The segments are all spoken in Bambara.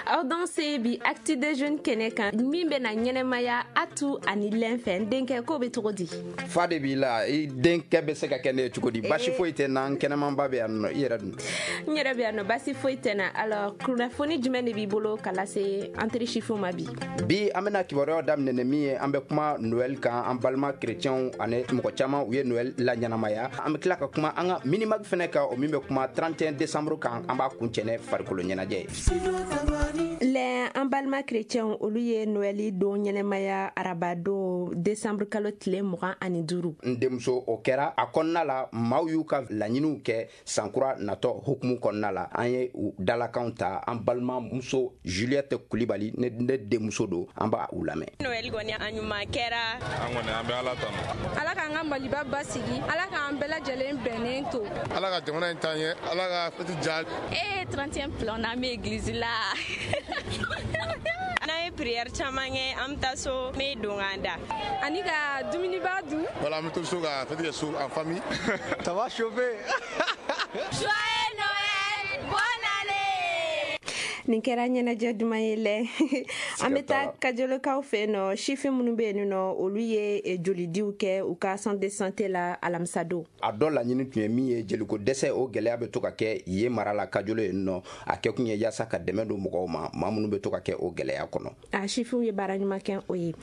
Aw danse bi Actu des Jeunes kɛnɛ kan min bɛna ɲɛnɛmaya Atu ani Lɛn fɛ. N denkɛ, ko bɛ cogo di? Fa de b'i la, i denkɛ bɛ se ka kɛ ne ye cogo di? Basi foyi tɛ n'an, kɛnɛmanba bɛ yan nɔ. I yɛrɛ dun? N yɛrɛ bɛ yan nɔ, basi foyi tɛ na. Alors, kunnafoni jumɛn de b'i bolo ka lase an teri sifinw ma bi? Bi, an bɛna kibaruyaw daminɛ ni min ye, an bɛ kuma Noël kan. An balima chrétienw ani mɔgɔ caman, u ye Noël la ɲɛnamaya. An bɛ tila ka kuma an ka Minimag fɛnɛ kan, o min bɛ kuma 31 décembre kan. An b'a kuncɛ ni farikolo ɲɛnajɛ ye. Lɛ, an balima chrétienw, olu ye Noël don ɲɛnɛmaya araba don, décembre kalo tile 25. N denmuso, o kɛra a kɔnɔna la, maaw y'u ka laɲiniw kɛ sankura natɔ hukumu kɔnɔna la. An ye u dalakanw ta. An balimamuso Juliette Kulibali, ne denmuso don, an b'a u lamɛn. Noël kɔni, a ɲuman kɛra. An kɔni, an bɛ Ala tanu. Ala k'an ka Maliba basigi, Ala k'an bɛɛ lajɛlen bɛnnen to. Ala ka jamana in taa ɲɛ, Ala ka fête diya. E 31 plan n'an bɛ église la, n'an ye prière caman kɛ, an bɛ taa so, n bɛ don k'an da. Ani ka dumuniba dun. Voilà, an bɛ to so ka fête kɛ so en famille. Ça va chauffer. Joyeux Noël, bonne année. Nin kɛra ɲɛnajɛ duman ye lɛ. An bɛ taa Kajolokaw fɛ yen nɔ. Sifin minnu bɛ yen nɔ, olu ye jolidiw kɛ u ka centre de santé la alamisa don. A dɔ laɲini tun ye min ye, jeliko dɛsɛ, o gɛlɛya bɛ to ka kɛ yen mara la, Kajolo yen nɔ. A kɛ kun ye yaasa ka dɛmɛ don mɔgɔw ma, maa minnu bɛ to ka kɛ o gɛlɛya kɔnɔ. A sifinw ye baara ɲuman kɛ o ye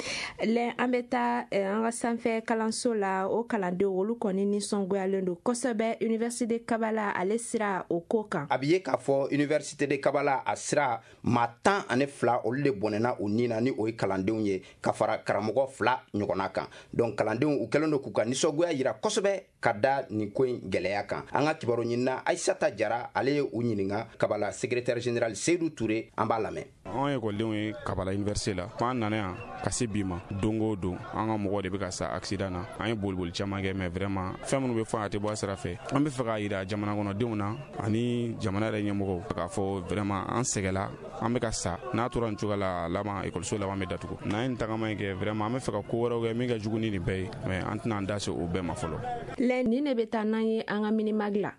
lɛ. An bɛ taa an ka sanfɛ kalanso la. O kalandenw, olu kɔni nisɔngoyalen don kosɛbɛ Université de Kabala, ale sira o ko kan. A bɛ ye k'a fɔ Université de Kabala a sira, maa 12, olu de bɔnɛna u ni na, ni o ye kalandenw ye, ka fara karamɔgɔ fila ɲɔgɔnna kan. Donc kalandenw, u kɛlen don k'u ka nisɔngoya yira kosɛbɛ ka da nin ko in gɛlɛya kan. An ka kibaru ɲinina Ayisata Jara, ale ye u ɲininka. Kabala secrétaire général Seydou Touré, an b'a lamɛn. Anw ye ekɔlidenw ye Kabala université la. An nana yan ka se bi ma, don o don an ka mɔgɔw de bɛ ka sa accident na. An ye boliboli caman kɛ, mais vraiment, fɛn minnu bɛ fɔ, a tɛ bɔ a sira fɛ. An bɛ fɛ k'a yira jamana kɔnɔdenw na ani jamana yɛrɛ ɲɛmɔgɔw k'a fɔ vraiment, an sɛgɛla, an bɛ ka sa. N'a tora nin cogoya la, laban ekɔliso laban bɛ datugu. N'an ye nin tagama in kɛ, vraiment, an bɛ fɛ ka ko wɛrɛw kɛ min ka jugu ni nin bɛɛ ye, mais an tɛna an da se o bɛɛ ma fɔlɔ. Lɛ, nin de bɛ taa n'an ye an ka Minimag la.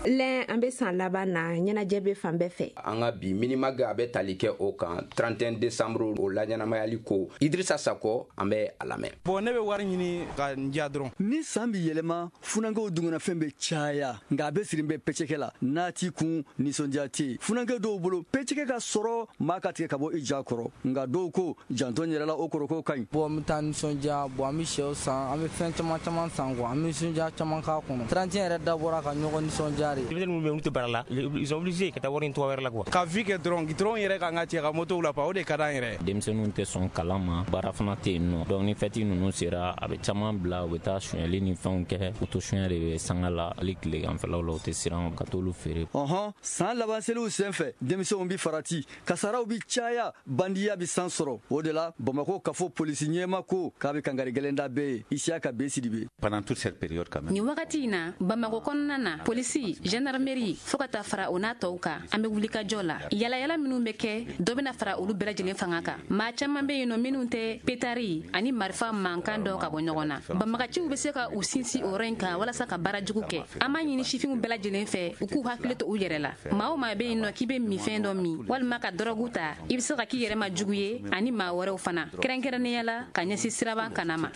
Lɛ, an bɛ san laban na, ɲɛnajɛ bɛ fan bɛɛ fɛ. An ka bi Minimag, a bɛ tali kɛ o kan, 31 décembre, o laɲɛnamayali ko. Idrissa Sakɔ, an bɛ a lamɛn. Bon, ne bɛ wari ɲini ka n diya dɔrɔn. Ni san bi yɛlɛma, funankɛw dunganafɛn bɛ caya, nka a bɛ siri bɛ pɛcɛkɛ la n'a t'i kun nisɔndiya tɛ yen. Funankɛ dɔw bolo, pɛcɛkɛ ka sɔrɔ maa ka tigɛ ka bɔ i ja kɔrɔ, nka dɔw ko janto n yɛrɛ la, o kɔrɔ ko ka ɲi. Bon, an bɛ taa nisɔndiya. Bon, an bɛ sɛw san, an bɛ fɛn caman caman san quoi, an bɛ nisɔndiya caman k'a kɔnɔ. 31 yɛrɛ dabɔra ka ɲɔgɔn nisɔndiya de. Denmisɛnnin minnu bɛ yen, olu tɛ baara la, ils sont obligés ka taa wari ɲini cogoya wɛrɛ la quoi. Ka vie kɛ dɔrɔn, goudron yɛrɛ k'an ka cɛ ka motow la pa, o de ka d'an yɛrɛ. Denmisɛnninw tɛ sɔn kalan ma, baara fana tɛ yen nɔ. Donc ni fɛti ninnu sera, a bɛ caman bila, u bɛ taa sonyɛli ni fɛnw kɛ. Moto suɲɛ de bɛ sanga la, hali tileganfɛlaw la, u tɛ siran ka t'olu feere. Ɔhɔn, san laban seliw sen fɛ, denmisɛnw bi farati, kasaraw bi caya, bandiya bi san sɔrɔ. O de la, Bamako kafo polisi ɲɛma ko k'a bɛ kangari gɛlɛn da bɛɛ ye. Isiyaka B Sidibe. Pendant toute cette période quand même. Nin wagati in na, Bamako kɔnɔna na, polisi, gendarmerie, fɔɔ ka taa fara o n'a tɔw kan, an bɛ wulikajɔ la. Yalayala minnu bɛ kɛ, dɔ bɛna fara olu bɛɛ lajɛlen fanga kan. Maa caman bɛ yen nɔ minnu tɛ pétard ani marifa mankan dɔ ka bɔ ɲɔgɔn na. Banbagaciw bɛ se ka u sinsin o yɔrɔ in kan walasa ka baara jugu kɛ. An b'a ɲini sifinw bɛɛ lajɛlen fɛ, u k'u hakili to u yɛrɛ la. Maa o maa bɛ yen nɔ k'i bɛ minfɛn dɔ min walima ka dɔrɔgu ta, i bɛ se ka k'i yɛrɛ ma jugu ye ani maa wɛrɛw fana, kɛrɛnkɛrɛnnenya la ka ɲɛsin siraba kana ma.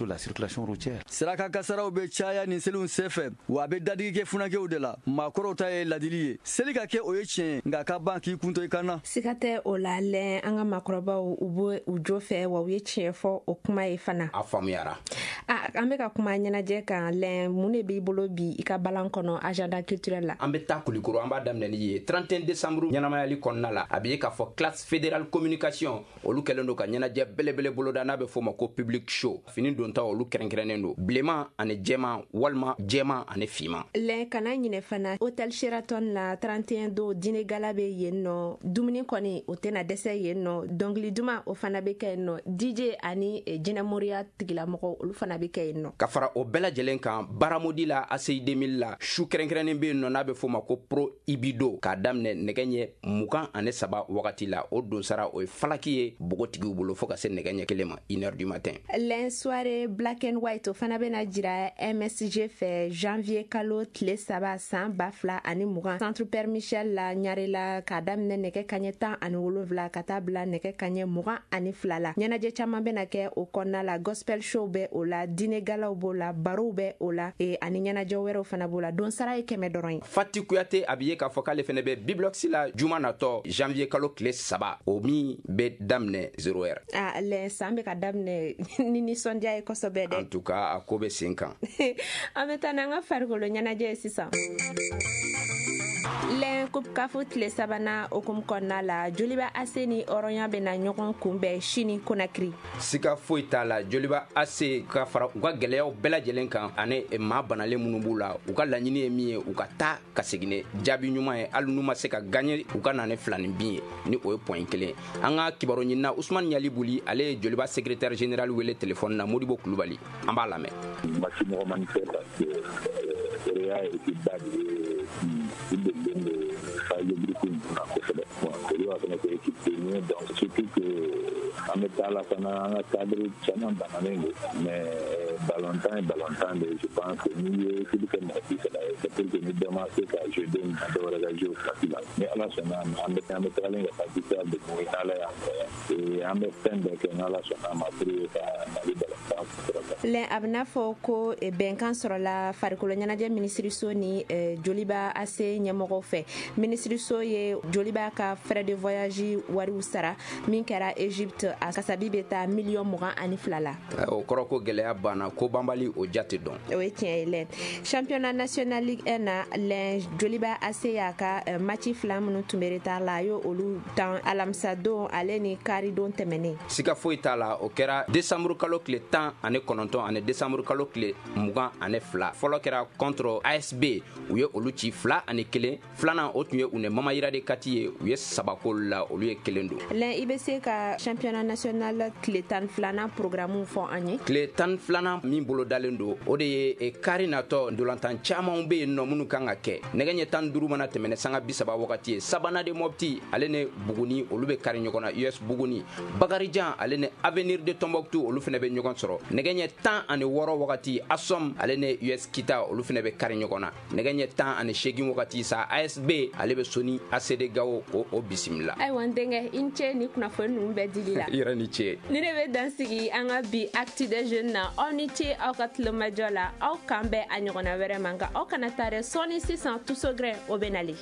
Siraka kasaraw bɛ caya nin seliw senfɛ, wa a bɛ dadigi kɛ funankɛw de la. Maakɔrɔw ta ye ladili ye, seli ka kɛ, o ye tiɲɛ ye, nka ka ban k'i kunto i kan na. Siga tɛ o la lɛ, an ka maakɔrɔbaw, u bɛ u jo fɛ, wa u ye tiɲɛ fɔ o kuma ye fana. A faamuyara. A an bɛ ka kuma ɲɛnajɛ kan. Lɛ, mun de b'i bolo bi i ka balan kɔnɔ, agenda culturel la? An bɛ taa Kulikoro, an b'a daminɛ ni ye 31 décembre ɲɛnamayali kɔnɔna la. A bɛ ye k'a fɔ classe fédérale communication, olu kɛlen don ka ɲɛnajɛ belebele boloda n'a bɛ f'o ma ko public show. Fini donta, olu kɛrɛnkɛrɛnnen don, bilenman ani jɛman walima jɛman ani finman. Lɛ, kana ɲinɛ fana, hôtel Sheraton la, 31 don, dîner gala bɛ yen nɔ. Dumuni kɔni, o tɛna dɛsɛ yen nɔ. Dɔnkili duman, o fana bɛ kɛ yen nɔ. DJ ani jinɛmoriya tigilamɔgɔw, olu fana bɛ bɛ kɛ yen nɔ. Ka fara o bɛɛ lajɛlen kan, baramodi la ACI 2000 la, su kɛrɛnkɛrɛnnen bɛ yen nɔ n'a bɛ f'o ma ko Pro Ibido, k'a daminɛ nɛgɛ ɲɛ 23 wagati la. O donsara o ye falaki ye npogotigiw bolo fo ka se nɛgɛ ɲɛ 1 ma, 1h du matin. Lɛn, soirée black and white, o fana bɛna jira MSG fɛ janvier kalo tile 3 san 2020, centre Père Michel la Ɲarela, k'a daminɛ nɛgɛ kaɲɛ 17 ka taa bila nɛgɛ kaɲɛ 22 la. Ɲɛnajɛ caman bɛna kɛ o kɔnɔna la, gospel show bɛ o la, dîner galaw b'o la, barow bɛ o la, ani ɲɛnajɛ wɛrɛw fana b'o la. Don sara ye 100 dɔrɔn ye. Fati Kuyate, a bɛ ye k'a fɔ k'ale fana bɛ Biblox la juma natɔ janvier kalo tile 3, o min bɛ daminɛ 0 heure. Ah lɛ, san bɛ ka daminɛ ni nisɔndiya ye kosɛbɛ dɛ. En tout cas, a ko bɛ sen kan. An bɛ taa n'an ka farikolo ɲɛnajɛ ye sisan. Lɛn, coupe CAF tile sabanan hukumu kɔnɔna la, Joliba AC ni Hɔrɔnya bɛna ɲɔgɔn kunbɛn sini Konakiri. Siga foyi t'a la, Joliba AC, ka fara u ka gɛlɛyaw bɛɛ lajɛlen kan ani maa banalen minnu b'u la, u ka laɲini ye min ye, u ka taa ka segin ni jaabi ɲuman ye. Hali n'u ma se ka gagner, u ka na ni 2 ni bin ye, ni o ye point 1. An ka kibaru ɲinina Usumani Ɲali Buli, ale ye Joliba secrétaire général wele téléphone na. Modibo Kulubali, an b'a lamɛn. Match nɔgɔmani tɛ parce que Horoya ye équipe ba de ye, u delilen don phase de groupe ninnu na kosɛbɛ. Bon, Joliba fana tɛ équipe denni ye, donc surtout que an bɛ taa la fana, an ka cadre caman bananen don, mais ballontan ye ballontan de ye. Je pense que n'i ye équipe kɛ mɔgɔ 30 ye, c'est pour que ni dɔ ma se ka jouer don min na, dɔ wɛrɛ ka jouer o place la. Ni Ala sɔnna a ma, an bɛ tagalen ka taa victoire de mun ye, n'Ala y'an fɛ, an bɛ fɛn bɛɛ kɛ n'Ala sɔnna a ma pour que ka Mali ballontan kɔrɔta. Lɛn, a bɛna fɔ ko bɛnkan sɔrɔla farikolo ɲɛnajɛ minisiriso ni Joliba AC ɲɛmɔgɔw fɛ. Minisiriso ye Joliba ka frais de voyage wariw sara min kɛra Egypte, a kasabi bɛ taa miliyɔn 22 la. O kɔrɔ ko gɛlɛya banna, ko banbali o jate dɔn. O ye tiɲɛ ye. Lɛn, championnat national Ligue 1 na, lɛn, Joliba AC y'a ka match fila minnu tun bɛ retard la, a y'o olu tan alamisa don ale ni kari don tɛmɛnen. Siga foyi t'a la, o kɛra décembre kalo tile 19 ani décembre kalo tile 22. Fɔlɔ kɛra contre ASB, u ye olu ci 2-1. Filanan, o tun ye u ni Mamayira de Kati ye, u ye saba k'olu la, olu ye kelen don. Lɛn, i bɛ se ka championnat national tile 12nan programme fɔ an ye? Tile 12nan min bolo dalen don, o de ye kari natɔ. Ndolantan camanw bɛ yen nɔ minnu kan ka kɛ. Nɛgɛ ɲɛ 15 mana tɛmɛ sanga 30 wagati ye, Sabana de Mopti ale ni Buguni, olu bɛ kari ɲɔgɔn na, US Buguni. Bakarijan ale ni Avenir de Tombouctou, olu fana bɛ ɲɔgɔn sɔrɔ. Nɛgɛ ɲɛ 16 wagati, Asom ale ni US Kita, olu fana bɛ kari ɲɔgɔn na. Nɛgɛ ɲɛ 18 wagati sa, ASB ale bɛ Soni ACD Gawo o bisimila. Ayiwa n denkɛ, i ni ce ni kunnafoni ninnu bɛɛ dili la. I yɛrɛ ni ce. Ni ne bɛ dan sigi an ka bi actu des jeunes na. Aw ni ce aw ka tulomajɔ la. Aw kan bɛn a ɲɔgɔnna wɛrɛ ma, nka aw kana taa dɛ, sɔɔni sisan Tusogrin o bɛ nali.